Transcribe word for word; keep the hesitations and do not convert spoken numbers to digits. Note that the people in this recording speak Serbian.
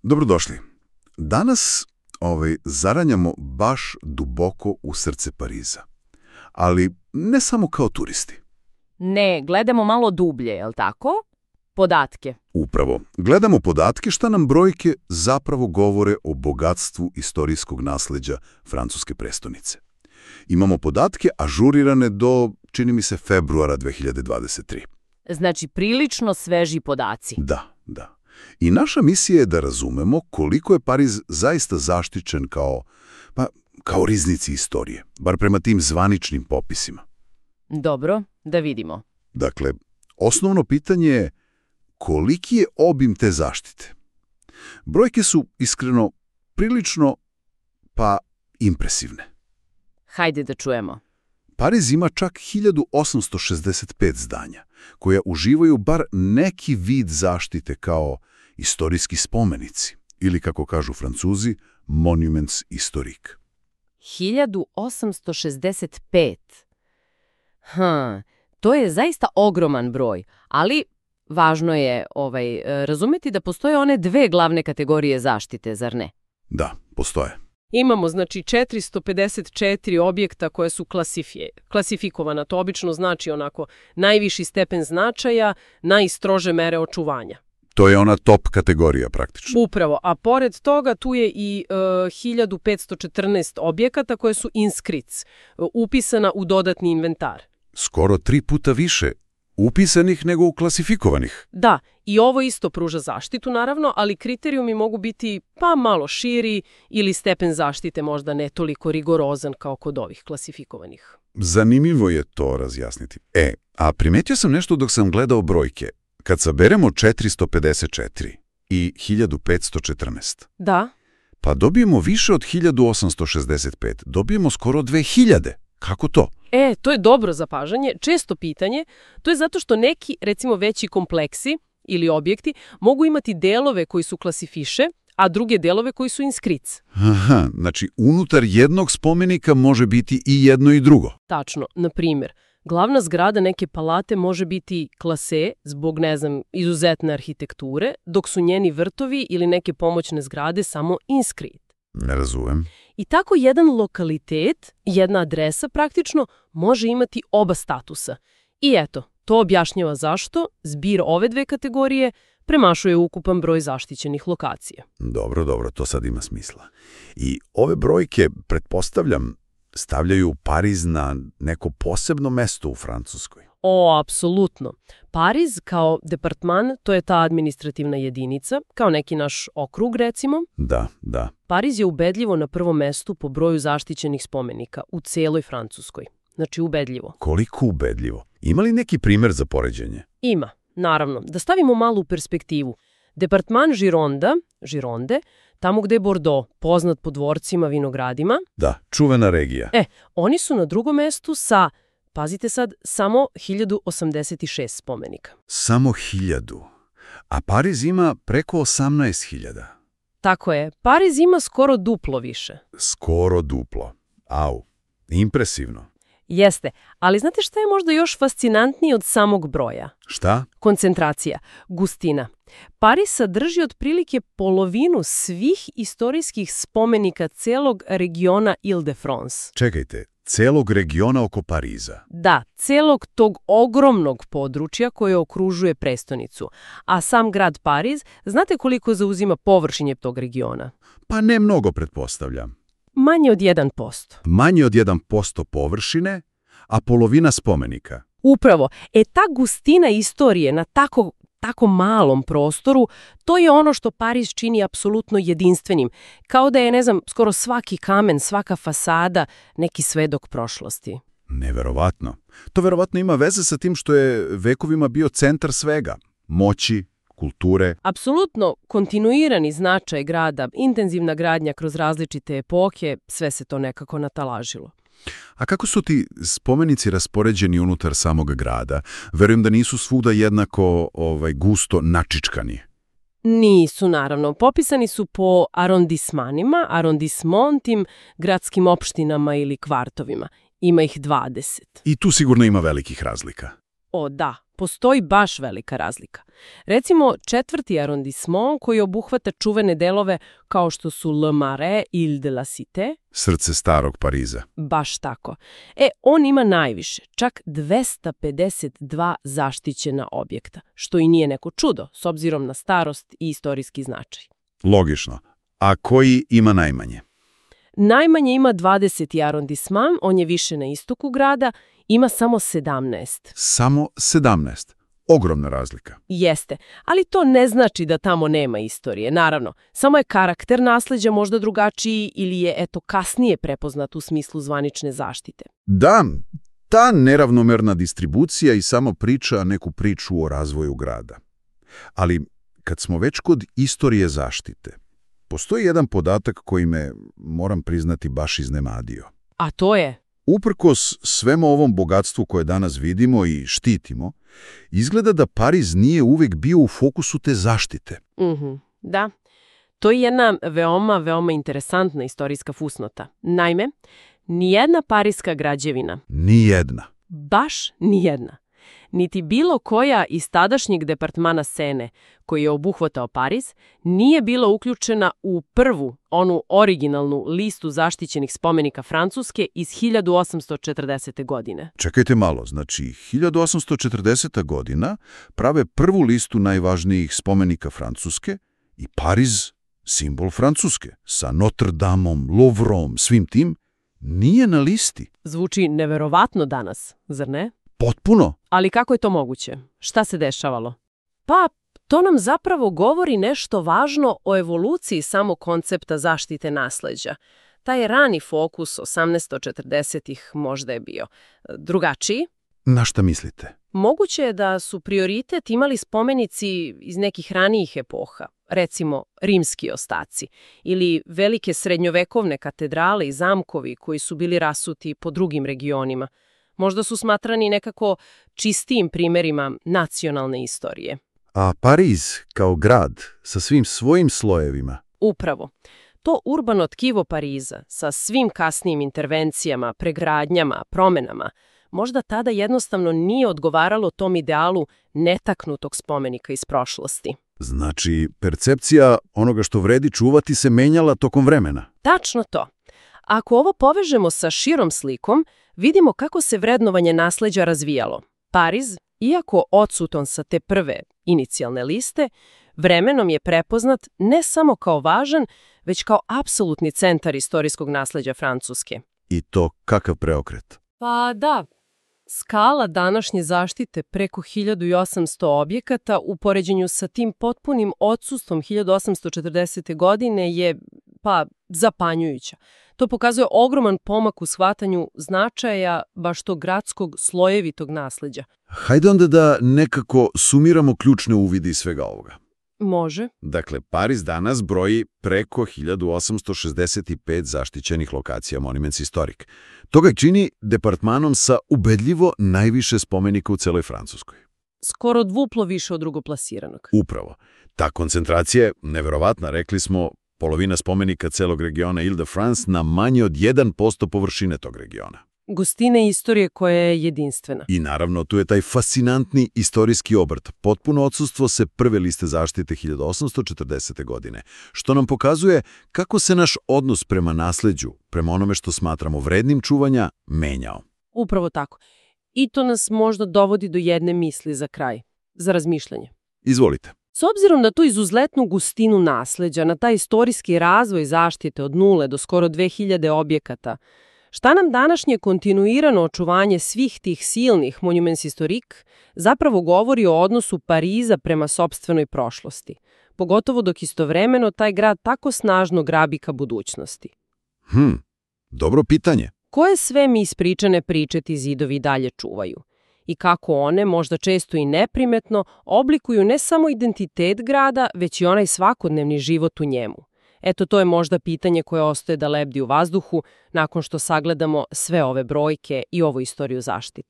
Dobrodošli. Danas ovaj, zaranjamo baš duboko u srce Pariza. Ali ne samo kao turisti. Ne, gledamo malo dublje, jel tako? Podatke. Upravo. Gledamo podatke šta nam brojke zapravo govore o bogatstvu istorijskog nasleđa francuske prestonice. Imamo podatke ažurirane do, čini mi se, februara dve hiljade dvadeset treće. Znači, prilično sveži podaci. Da, da. I naša misija je da razumemo koliko je Pariz zaista zaštićen kao, pa, kao riznici istorije, bar prema tim zvaničnim popisima. Dobro, da vidimo. Dakle, osnovno pitanje je koliki je obim te zaštite. Brojke su, iskreno, prilično, pa, impresivne. Hajde da čujemo. Pariz ima čak hiljadu osamsto šezdeset pet zdanja, koja uživaju bar neki vid zaštite kao istorijski spomenici, ili kako kažu Francuzi, monuments historiques. hiljadu osamsto šezdeset pet. Hm, to je zaista ogroman broj, ali važno je ovaj, razumjeti da postoje one dve glavne kategorije zaštite, zar ne? Da, postoje. Imamo, znači, četiristo pedeset četiri objekta koje su klasifije, klasifikovana. To obično znači onako najviši stepen značaja, najstrože mere očuvanja. To je ona top kategorija praktično. Upravo, a pored toga tu je i uh, hiljadu petsto četrnaest objekata koje su inscrits, uh, upisana u dodatni inventar. Skoro tri puta više upisanih nego u klasifikovanih. Da, i ovo isto pruža zaštitu, naravno, ali kriterijumi mogu biti pa malo širi ili stepen zaštite možda ne toliko rigorozan kao kod ovih klasifikovanih. Zanimljivo je to razjasniti. E, a primetio sam nešto dok sam gledao brojke. Kad saberemo četiristo pedeset četiri i hiljadu petsto četrnaest, Da. pa dobijemo više od hiljadu osamsto šezdeset pet, dobijemo skoro dve hiljade. Kako to? E, to je dobro zapažanje, često pitanje. To je zato što neki, recimo veći kompleksi ili objekti, mogu imati delove koji su klasifiše, a druge delove koji su inscrits. Aha, znači unutar jednog spomenika može biti i jedno i drugo. Tačno, na primjer, glavna zgrada neke palate može biti klase zbog, ne znam, izuzetne arhitekture, dok su njeni vrtovi ili neke pomoćne zgrade samo inscrit. Ne razumem. I tako jedan lokalitet, jedna adresa praktično, može imati oba statusa. I eto, to objašnjava zašto zbir ove dve kategorije premašuje ukupan broj zaštićenih lokacija. Dobro, dobro, to sad ima smisla. I ove brojke, pretpostavljam, stavljaju Pariz na neko posebno mesto u Francuskoj. O, apsolutno. Pariz kao departman, to je ta administrativna jedinica, kao neki naš okrug, recimo. Da, da. Pariz je ubedljivo na prvom mestu po broju zaštićenih spomenika u celoj Francuskoj. Znači, ubedljivo. Koliko ubedljivo? Ima li neki primjer za poređenje? Ima, naravno. Da stavimo malu perspektivu. Departman Gironda, Gironde, tamo gde je Bordeaux, poznat po dvorcima, vinogradima. Da, čuvena regija. E, oni su na drugom mestu sa, pazite sad, samo hiljadu osamdeset šest spomenika. Samo hiljadu. A Pariz ima preko osamnaest hiljada. Tako je. Pariz ima skoro duplo više. Skoro duplo. Au, impresivno. Jeste, ali znate šta je možda još fascinantnije od samog broja? Šta? Koncentracija, gustina. Pariz sadrži otprilike polovinu svih istorijskih spomenika celog regiona Ile-de-France. Čekajte, celog regiona oko Pariza? Da, celog tog ogromnog područja koje okružuje prestonicu. A sam grad Pariz, znate koliko zauzima površinje tog regiona? Pa ne mnogo, pretpostavljam. Manje od jedan posto. Manje od jedan posto površine, a polovina spomenika. Upravo. E, ta gustina istorije na tako, tako malom prostoru, to je ono što Pariz čini apsolutno jedinstvenim. Kao da je, ne znam, skoro svaki kamen, svaka fasada neki svedok prošlosti. Neverovatno. To verovatno ima veze sa tim što je vekovima bio centar svega. Moći, kulture. Apsolutno kontinuirani značaj grada, intenzivna gradnja kroz različite epohe, sve se to nekako natalažilo. A kako su ti spomenici raspoređeni unutar samog grada? Verujem da nisu svuda jednako ovaj, gusto načičkani. Nisu, naravno. Popisani su po arondismanima, arondismontim, gradskim opštinama ili kvartovima. Ima ih dvadeset. I tu sigurno ima velikih razlika. O, da. postoji baš velika razlika. Recimo, četvrti arondismon koji obuhvata čuvene delove kao što su Le Marais, Ile de la Cité. Srce starog Pariza. Baš tako. E, on ima najviše, čak dvesta pedeset dva zaštićena objekta, što i nije neko čudo, s obzirom na starost i istorijski značaj. Logično. A koji ima najmanje? Najmanje ima dvadeseti arondisman, on je više na istoku grada, ima samo sedamnaest. Samo sedamnaest. Ogromna razlika. Jeste, ali to ne znači da tamo nema istorije, naravno. Samo je karakter nasleđa možda drugačiji ili je, eto, kasnije prepoznat u smislu zvanične zaštite. Da, ta neravnomerna distribucija i samo priča neku priču o razvoju grada. Ali kad smo već kod istorije zaštite, postoji jedan podatak koji me, moram priznati, baš iznenadio. A to je? Uprkos svemu ovom bogatstvu koje danas vidimo i štitimo, izgleda da Pariz nije uvijek bio u fokusu te zaštite. Mhm, da. To je jedna veoma, veoma interesantna istorijska fusnota. Naime, nijedna parijska građevina, Nijedna. baš nijedna, niti bilo koja iz tadašnjeg departmana Sene, koji je obuhvatao Pariz, nije bila uključena u prvu, onu originalnu listu zaštićenih spomenika Francuske iz hiljadu osamsto četrdesete. godine. Čekajte malo, znači hiljadu osamsto četrdeseta. godina prave prvu listu najvažnijih spomenika Francuske i Pariz, simbol Francuske, sa Notre Dameom, Louvrom, svim tim, nije na listi. Zvuči neverovatno danas, zar ne? Potpuno. Ali kako je to moguće? Šta se dešavalo? Pa, to nam zapravo govori nešto važno o evoluciji samog koncepta zaštite nasleđa. Taj rani fokus osamnaesto četrdesetih možda je bio drugačiji. Na šta mislite? Moguće je da su prioritet imali spomenici iz nekih ranijih epoha, recimo rimski ostaci, ili velike srednjovekovne katedrale i zamkovi koji su bili rasuti po drugim regionima. Možda su smatrani nekako čistijim primjerima nacionalne istorije. A Pariz kao grad sa svim svojim slojevima? Upravo. To urbano tkivo Pariza sa svim kasnijim intervencijama, pregradnjama, promenama, možda tada jednostavno nije odgovaralo tom idealu netaknutog spomenika iz prošlosti. Znači, percepcija onoga što vredi čuvati se menjala tokom vremena. Tačno to. Ako ovo povežemo sa širom slikom, vidimo kako se vrednovanje nasleđa razvijalo. Pariz, iako odsutan sa te prve inicijalne liste, vremenom je prepoznat ne samo kao važan, već kao apsolutni centar istorijskog nasleđa Francuske. I to kakav preokret? Pa da, skala današnje zaštite preko hiljadu osamsto objekata u poređenju sa tim potpunim odsustvom hiljadu osamsto četrdesete. godine je, pa, zapanjujuća. To pokazuje ogroman pomak u shvatanju značaja baš tog gradskog slojevitog nasleđa. Hajde onda da nekako sumiramo ključne uvide iz svega ovoga. Može. Dakle, Pariz danas broji preko hiljadu osamsto šezdeset pet zaštićenih lokacija Monuments Historiques. To ga čini departmanom sa ubedljivo najviše spomenika u celoj Francuskoj. Skoro dvuplo više od drugoplasiranog. Upravo. Ta koncentracija je neverovatna, rekli smo, polovina spomenika celog regiona Ile-de-France na manje od jedan posto površine tog regiona. Gustine istorije koja je jedinstvena. I naravno, tu je taj fascinantni istorijski obrt, potpuno odsustvo se prve liste zaštite hiljadu osamsto četrdesete. godine, što nam pokazuje kako se naš odnos prema nasleđu, prema onome što smatramo vrednim čuvanja, menjao. Upravo tako. I to nas možda dovodi do jedne misli za kraj, za razmišljanje. Izvolite. S obzirom na tu izuzetnu gustinu nasleđa, na taj istorijski razvoj zaštite od nule do skoro dve hiljade objekata, šta nam današnje kontinuirano očuvanje svih tih silnih Monuments Historiques zapravo govori o odnosu Pariza prema sopstvenoj prošlosti, pogotovo dok istovremeno taj grad tako snažno grabi ka budućnosti? Hm, dobro pitanje. Koje sve mi ispričane priče ti zidovi dalje čuvaju? I kako one, možda često i neprimetno, oblikuju ne samo identitet grada, već i onaj svakodnevni život u njemu? Eto, to je možda pitanje koje ostaje da lebdi u vazduhu nakon što sagledamo sve ove brojke i ovu istoriju zaštite.